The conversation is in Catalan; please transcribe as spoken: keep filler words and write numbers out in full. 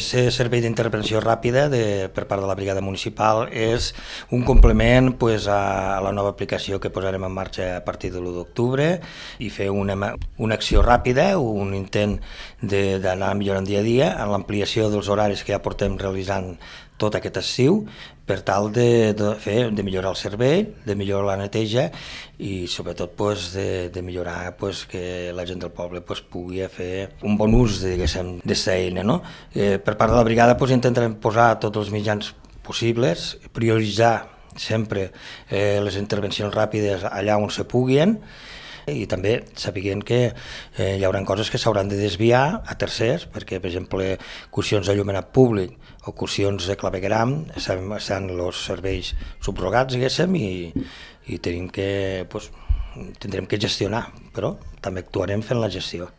El servei d'intervenció ràpida de, per part de la brigada municipal és un complement pues, a la nova aplicació que posarem en marxa a partir de l'u d'octubre i fer una, una acció ràpida, un intent d'anar millorant dia a dia en l'ampliació dels horaris que ja portem realitzant tot aquest estiu per tal de, de, fer, de millorar el servei, de millorar la neteja i sobretot pues, de, de millorar pues, que la gent del poble pues, pugui fer un bon ús d'aquesta eina. No? Eh, per part de la brigada pues, intentarem posar tots els mitjans possibles, prioritzar sempre eh, les intervencions ràpides allà on se puguin i també sapiguent que eh, hi haurà coses que s'hauran de desviar a tercers, perquè per exemple cursions d'allumenat públic o cursions de clavegueram estan els serveis subrogats diguéssim i, i tenim que, pues, tindrem que gestionar, però també actuarem fent la gestió.